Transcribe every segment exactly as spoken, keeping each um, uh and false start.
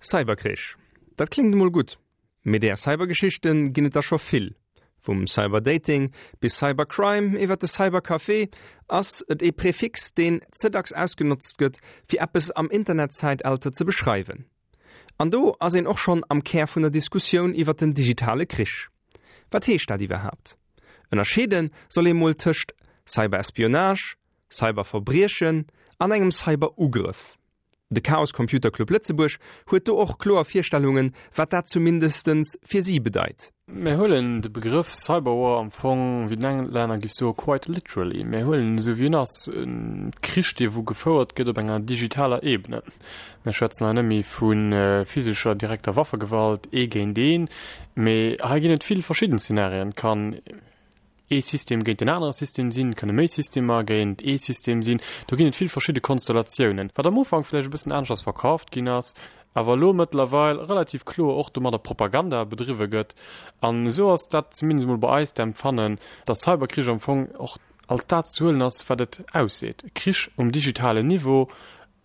Cyberkrich. Dat kléngt emol gutt. Mee där Cybergeschichte ginn et der scho vill. Vum Cyberdating bis Cybercrime iwwer de Cybercafé ass et ee Prefix, deen ze dacks ausgenotzt gëtt, fir eppes am Internetzäitalter ze beschreiwen. An do ass een och schonn am Kär vun der Diskussioun iwwer den digitale Krich. Wat heescht dat iwwerhaapt? Ënnerscheede soll ee mol tëscht Cyberespionage, Cyberverbriechen an engem Cyberugrëff. De Chaos Computer Club Lëtzebuerg huet do och kloer Virstellungen, wat dat zumindestens fir si bedeit. Mir huelen de Begrëff Cyberwar am Fong, wéi den Englänner géif soen, quite literally. Mir huelen en esou wéi en ass, e Krich, dee wou gefouert gëtt op enger digitaler Ebene. Mir schwätzen hei net méi vu physescher direkter Waffegewalt, ee géint een, mee hei ginn et vill verschidden Szenarien. Et kann ee System géint en anere System sinn, et kënne méi Systemer géint ee System sinn. Do ginn et vill verschidde Konstellatiounen, wat am Ufank vläicht e bëssen aneschters verkaaft ginn ass, awer elo mëttlerweil relativ kloer och domadder Propaganda bedriwwe gëtt. An esou ass dat zumindest emol bei eis d'Empfannen, dass Cyberkrich am Fong och als dat ze huelen ass, wat et ausseet, Krich um digitalen Niveau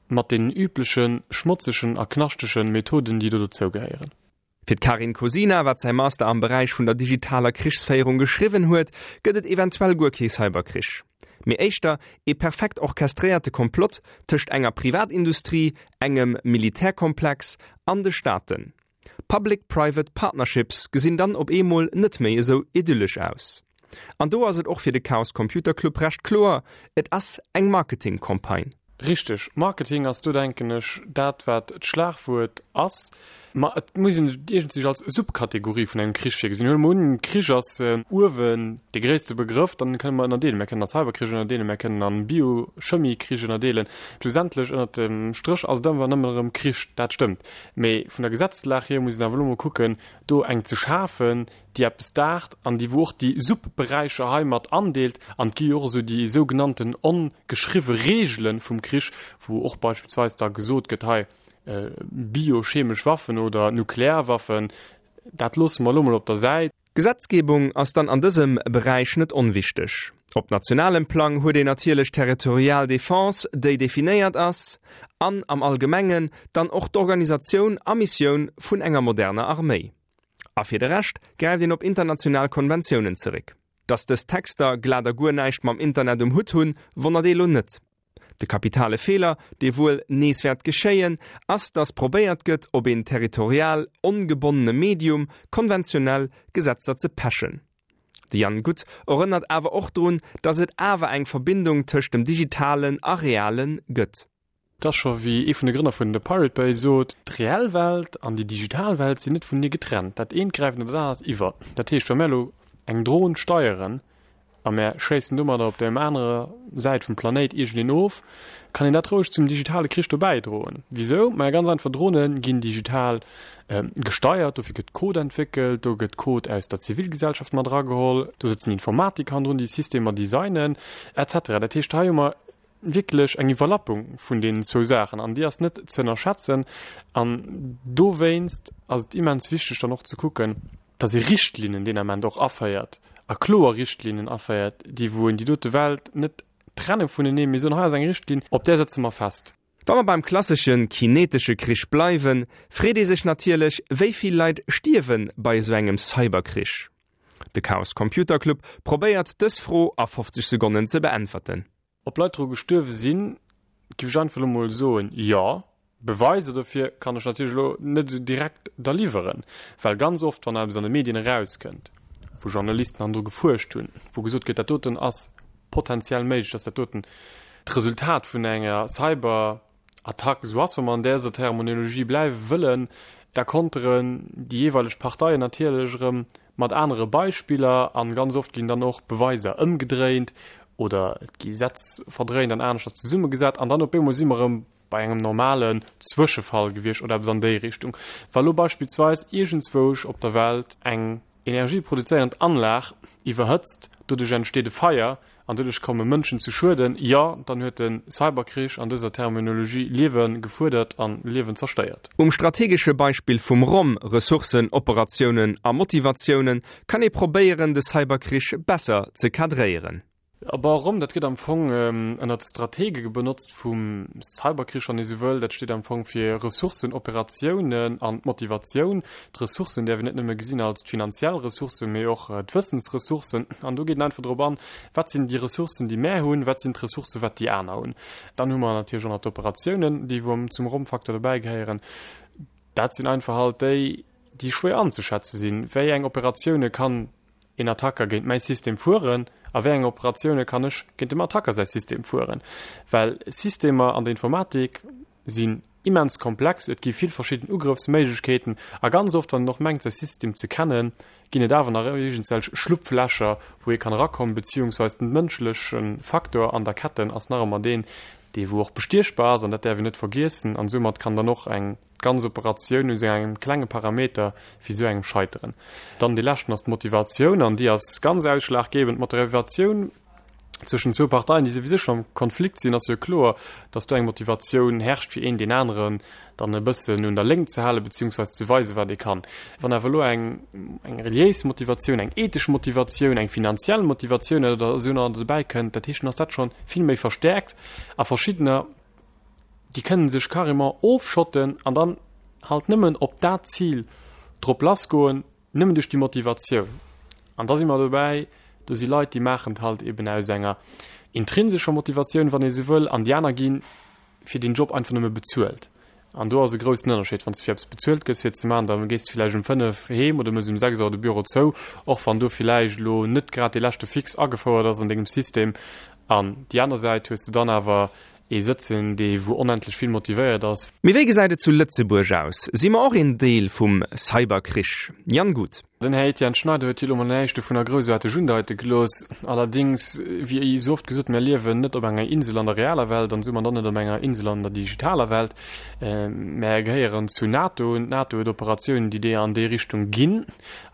mat deenen übleche schmotzegen a knaschtege Methoden, déi do dozougehéieren. Fir d'Karin Kosina, wat säi Master am Beräich vun der digitaler Krichsféierung geschriwwen huet, gëtt et eventuell guer kee Cyberkrich, mee éischter ee perfekt orchestréierte Komplott tëscht enger Privatindustrie, engem Militärkomplex an de Staaten. Public-private Partnerships gesinn dann op eemol net méi esou idyllesch aus. An do ass et och fir de Chaos Computer Club recht kloer, Et ass eng Marketing-Campagne. Richteg, Marketing ass do, denken ech, dat wat d'Schlagwuert ass. Ma et muss een et iergendswéi als Subkategorie vun engem Krich hier gesinn. Huele mer un, Krich ass uewen dee gréisste Begrëff, dann kënne mer ënnerdeelen. Mir kënnen a Cyberkrich ënnerdeelen, mir kënnen a Bio-Chemie-Krich ënnerdeelen. Schlussendlech, ënnert dem Stréch ass et ëmmer nëmmen erëm Krich, dat stëmmt. Mee vun der Gesetzeslag hier muss een awer elo mol kucken, do eng ze schafen, déi eppes daacht an déi wou och déi Subberäicher hei mat andeelt. An et gi jo och esou déi sougenannten ongeschriwwe Reegele vum Krich, wou och beispillsweis da gesot gëtt, hei biochemesch Waffen oder Nuklearwaffen, dat loosse mer elo mol op der Säit. D'Gesetzgebung ass dann an dësem Beräich net onwichteg. Op nationalem Plang huet een natierlech d'territorial Defense, déi definéiert ass, an am Allgemengen dann och d'Organisatioun a Missioun vun enger moderner Arméi. A fir de Rescht gräift een op international Konventiounen zeréck. Datt dës Texter glat a guer näischt mam Internet um Hutt hunn, wonnert ee lo net. De kapitale Feeler, dee wuel nees wäert geschéien, ass, datt probéiert gëtt, op een territorial ongebonnene Medium konventionell Gesetzer ze pechen. De Jan Guth erënnert awer och drun, datt et awer eng Verbindung tëscht dem Digitalen a Reale gëtt. Et ass scho wéi ee vun de Grënner vun The Pirate Bay sot, D'reell Welt an déi digital Welt sinn net vunenee getrennt. Dat eent gräift an dat anert iwwer. Dat heescht, wa mär elo eng Dron steieren a mär schéissen domadder op der anerer Säit vum Planéit iergendeen of, kann een dat roueg zum digitale Krich dobäi droen. Wisou? Maja ganz einfach, Drone ginn digital gesteiert, dofir gëtt Code entwéckelt, do gëtt Code aus der Zivilgesellschaft mat erageholl, do sëtzen Informatiker hannendrun, déi Systemer designen, et cetera. Dat heescht, hei hu mer wierklech eng Iwwerlappung vun deenen zwou Saachen an déi ass net ze ënnerschätzen. An dowéinst ass et immens wichteg dann och ze kucken, dass ee Richtlinnen deen Ament och aféiert a kloer Richtlinnen aféiert, déi wou een déi dote Welt net trenne vuneneen, mee soen, hei ass eng Richtlinn, op där sëtze mer fest. Wa mer beim klassesche kinetesche Krich bleiwen, freet ee sech natierlech, wéi vill Leit stierwe bei esou engem Cyberkrich? De Chaos Computer Club probéiert dës Fro a fofzeg Sekonnen ze beäntwerten. Ob Leit dru gestuerwe sinn, giff ech einfach elo mol soen, jo. Beweiser dofir kann ech natierlech elo net esou direkt der liwweren, well ganz oft, wann eppes an de Medien erauskënnt, wou Journalisten hannendru gefuerscht hunn, wou gesot gëtt, dat doten ass potenziell méiglech, dass dat doten d'Resultat vun enger Cyberattack esou ass, wa mer an däser Terminologie bleiwe wëllen, da konteren déi jeeweileg Parteien natierlech erëm mat anere Beispiller an ganz oft ginn dann och Beweiser ëmgedréint oder et gi Sätz verdréint an aneschters zesummegesat an dann op eemol si mer erëm bei engem normalen Zwëschefall gewiescht oder eppes an déi Richtung. Wa lo beispillsweis iergendzwousch op der Welt eng energieproduzéierend Anlag iwwerhëtzt, doduerch entsteet e Feier an doduerch komme Mënschen zu Schueden, jo, dann huet de Cyberkrich an dëser Terminologie Liewe gefuerdert an Liewen zerstéiert. Um strategesche Beispill vum Rom, Ressourcen, Operatiounen a Motivatiounen, kann ee probéieren, de Cyberkrich besser ze cadréieren. Awer erëm, dat gëtt am Fong ënnert Stratege benotzt vum Cyberkrich, wann ee sou wëll. Dat steet am Fong fir Ressourcen, Operatiounen an d'Motivatioun. D'Ressourcen däerf een net nëmme gesinn als d'finanziell Ressourcen, mee och d'Wëssensressourcen. An do geet en einfach drop an, wat sinn déi Ressourcen, déi mär hunn, wat sinn d'Ressourcen, wat déi aner hunn. Dann hu mer natierlech och nach d'Operatiounen, déi wou zum Rommfaktor dobäi gehéieren. Dat sinn einfach halt déi, déi schwéier anzeschätze sinn. Wéi eng Operatioune kann een Attacker géint mäi System fueren a wéi eng Operatioune kann ech géint dem Attacker säi System fueren? Well Systemer an der Informatik sinn immens komplex, et gi vill verschidden Ugrëffsméiglechkeeten a ganz oft, wann een och mengt säi System ze kennen, ginn et awer nach iergendwelch Schlupflächer, wou ee kann erakommen, beziehungsweis den mënschleche Faktor an der Ketten ass nach ëmmer deen, dee wou och bestiechbar ass an dat däerf een net vergiessen an soumat kann dann och eng ganz Operatioun u sou engem klenge Parameter wéi sou engem scheiteren. Dann dee leschten ass d'Motivatioun an déi ass ganz ausschlaggebend. D'Motivatioun zwëschen zwou Parteien, déi souwisou schonn am Konflikt sinn, ass jo kloer, dass do eng Motivatioun herrscht fir een deen aneren dann e bëssen un der Léngt ze halen, beziehungsweise ze weisen, wat ee kann. Wann awer elo eng eng reliéis Motivatioun, eng ethesch Motivatioun, eng finanziell Motivatioun oder esou nach dobäi kënnt, dat heescht, dann ass dat schonn vill méi verstärkt a verschiddener, déi kënnen sech carrément ofschotten an dann halt nëmmen op dat Zil drop lassgoen, nëmmen duerch déi Motivatioun. An da si mer dobäi, do si Leit, déi maachen et halt eben aus enger intrinsescher Motivatioun, wann ee sou wëll, an déi aner gi fir deen Job einfach nëmme bezuelt. An do ass e groussen Ënnerscheed. Wann s de fir eppes bezuelt gëss fir et ze maachen, da gees de villäicht um fënnef heem oder mëss um sechs Auer de Büro zou, och wann do villäicht elo net grad dee leschte Fix agefouert ass an dengem System. An déi aner Säit hues de dann awer ee sëtzen, dee wou onendlech vill motivéiert ass. Mee wéi gesäit et zu Lëtzebuerg aus? Si mer och een Deel vum Cyberkrich? Jan Guth. Den Här Etienne Schneider huet jo elo mol näischt dovunner groussaarteg undeite gelooss. Allerdéngs, wéi esou oft gesot, mir liewen net op enger Insel an der realer Welt an soumat och net op enger Insel an der digitaler Welt. Mär gehéieren zu NATO un. D'NATO huet Operatiounen, déi déi an déi Richtung ginn.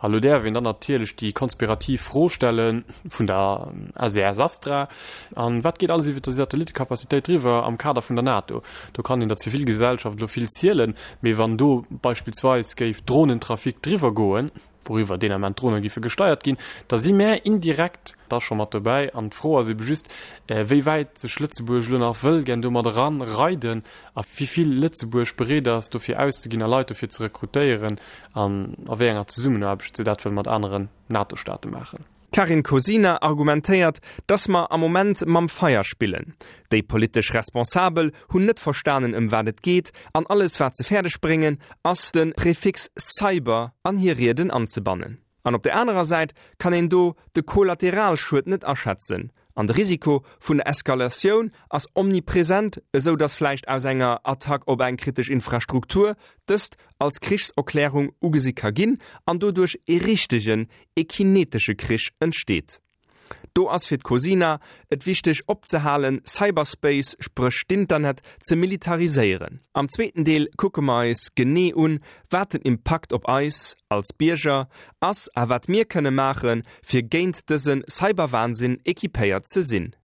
A lo däerf een dann natierlech déi konspirativ Fro stelle vun der S E S Astra, An wat geet alles iwwer déi Satellittecapacitéit driwwer am Kader vun der NATO? Do kann een der Zivilgesellschaft elo vill zielen, mee wann do beispillsweis géif Dronentrafic driwwer goen, wouriwwer deen Ament d'Drone géife gesteiert ginn, da si mär indirekt da scho mat dobäi. An d'Fro ass ebe just, wéi wäit sech Lëtzebuerg elo nach wëll gär domat eranreiden a wéi vill Lëtzebuerg bereet ass, dofir auszeginn a Leit dofir ze rekrutéieren an a wéi enger Zesummenaarbecht se dat wëll mat aneren NATO-Staate maachen. D'Karin Kosina argumentéiert, dass mer am Moment mam Feier spillen. Déi politesch Responsabel hunn net verstanen ëm wat et geet an alles wat se fäerdeg bréngen ass de Prefix Cyber an hir Rieden anzebannen. An op der anerer Säit kann een do de Kollateralschued net aschätzen an de Risiko vun der Eskalatioun ass omnipresent, esou dass vläicht aus enger Attack op eng kritesch Infrastruktur dëst als Krichserklärung ugesi ka ginn an doduerch ee richtegen, ee kinetesche Krich entsteet. Do ass fir d'Cosina et wichteg opzehalen, Cyberspace, spréch d'Internet, ze militariséieren. Am zweeten Deel kucke mer eis genee un, wat den Impakt op eis als Bierger ass a wat mir kënne maachen, fir géint dëse Cyberwahnsinn equipéiert ze sinn.